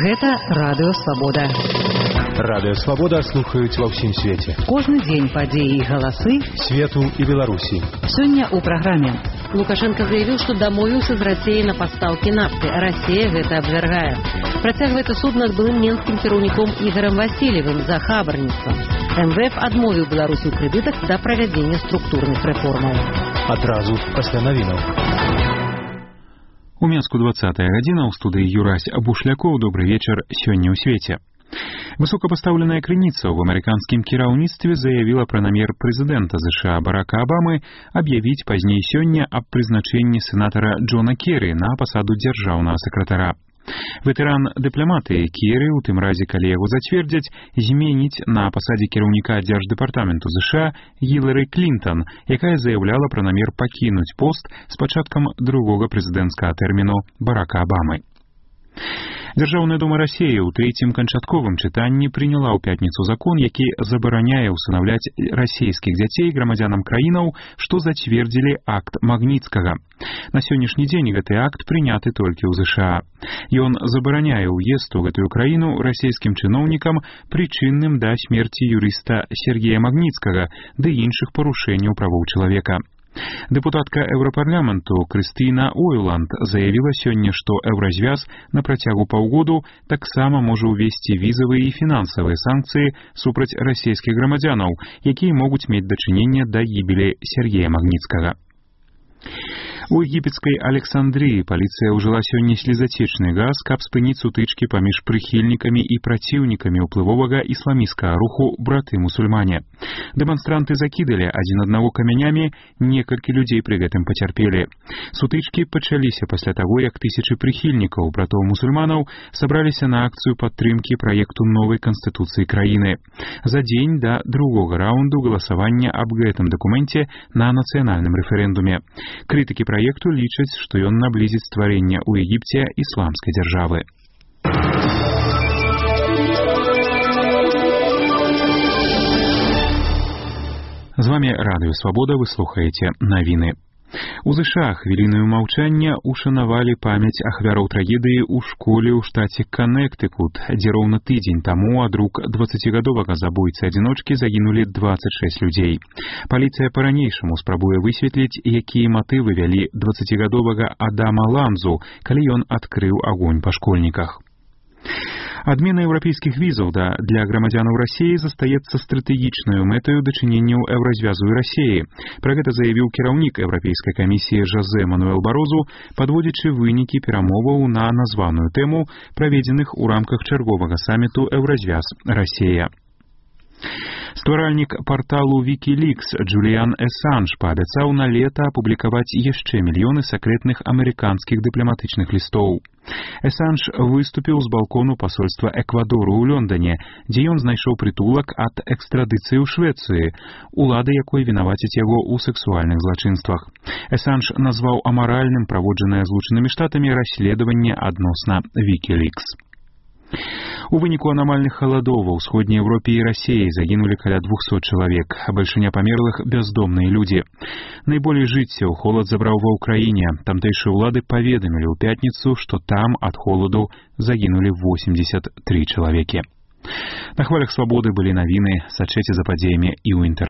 Гэта Радыё Свабода. Радыё Свабода слухаюць ва ўсім свеце. Кожны дзень падзеі і галасы свету і Беларусі. Сёння ў праграме. Лукашенко заявил, что домовился с Россией на поставки нафты. Россия это обвергает. Працягваецца суд над былым менскім кіраўніком Ігорем Васильевым за хабарніцтва. МВФ адмовіў Беларусі ў крэдытах да правядзення структурных рэформаў. Адразу пасля навінаў. У Менску 20-я гадзіна, у студыі Юрась Бушлякоў. Добрый вечер, сёння ў свеце. Высокапастаўленая крыніца ў амерыканскім кіраўніцтве заявіла пра намер прэзідэнта США Барака Абамы аб'явіць пазней сёння аб прызначэнні сенатара Джона Керрі на пасаду дзяржаўнага сакратара. Ветэран дыпламатыі Керрі, у тым разе, калі яго зацвердзяць, зменіць на пасадзе кіраўніка дзярждэпартаменту США Гілары Клінтон, якая заяўляла пра намер пакінуць пост з пачаткам другога прэзідэнцкага тэрміну Барака Абамы. Дзяржаўная дума Расіі ў трэцім канчатковым чытанні прыняла ў пятніцу закон, які забараняе ўстанаўляць расійскіх дзяцей грамадзянам краінаў, што зацвердзілі акт Магніцкага. На сённяшні дзень гэты акт прыняты толькі ў ЗША. Ён забараняе ўезд у гэтую краіну расійскім чыноўнікам, прычынным да смерці юрыста Сергея Магніцкага ды іншых парушэнняў правоў чалавека. Дэпутатка Еўрапарламенту Крыстына Ойланд заявіла сёння, што Еўразвяз на працягу паўгоду таксама можа ўвесці візавыя і фінансавыя санкцыі супраць расійскіх грамадзянаў, якія могуць мець дачыненне да гібелі Сергея Магніцкага. У егіпецкай Александрыі паліцыя ўжыла сёння слезацечны газ, каб спыніць сутычкі паміж прыхільнікамі і праціўнікамі ўплывовага ісламісцкага руху браты-мусульмане. Дэманстранты закідалі адзін аднаго камянямі, некалькі людзей пры гэтым пацярпелі. Сутычкі пачаліся пасля таго, як тысячы прыхільнікаў братоў-мусульманаў сабраліся на акцыю падтрымкі праекту новай канстытуцыі краіны. За дзень да другога раунду галасавання аб гэтым дакуменце на нацыянальным рэферэндуме. Крытыкі праекту лічаць, што ён наблізіць стварэнне ў Егіпце ісламскай дзяржавы. З вамі Радыё Свабода, вы слухаеце навіны. У ЗША хвілінаю маўчання ушанавалі памяць ахвяраў трагедыі ў школе ў штаце Каннектыкут, дзе роўна тыдзень таму ад рук 20гадовага забойцы-адзіночкі загінулі 26 людзей. Паліцыя па-ранейшаму спрабуе высветліць, якія матывы вялі 20гадовага Адама Ламзу, калі ён адкрыў агонь па школьніках. Адмена еўрапейскіх візаў для грамадзянаў Расіі застаецца стратэгічнаю мэтаю дачыненняў Еўразвязу і Расіі. Пра гэта заявіў кіраўнік Еўрапейскай камісіі Жозе Мануэл Барозу, падводзячы вынікі перамоваў на названую тэму, праведзеных у рамках чарговага саміту Еўразвяз-Расія. Стваральнік парталу Wikileaks Джуліан Эсанж паабяцаў на лета апублікаваць яшчэ мільёны сакрэтных амерыканскіх дыпламатычных лістоў. Эсанж выступіў з балкону пасольства Эквадору ў Лондоне, дзе ён знайшоў прытулак ад экстрадыцыі ў Швецыі, улады якой вінавацяць яго ў сэксуальных злачынствах. Эсанж назваў амаральным праводжанае Злучанымі Штатамі расследаванне адносна Wikileaks. У выніку анамальных халадоў ва ўсходняй Еўропе і Расіі загінулі каля 200 чалавек, а бальшыня памерлых бездомныя людзі. Найболей жыццяў холад забраў ва ўкраіне. Тамтэйшыя ўлады паведамілі ў пятніцу, што там ад холаду загінулі 83 чалавекі. На хвалях Свабоды былі навіны, сачыце за падзеямі і ў інтэрнэце.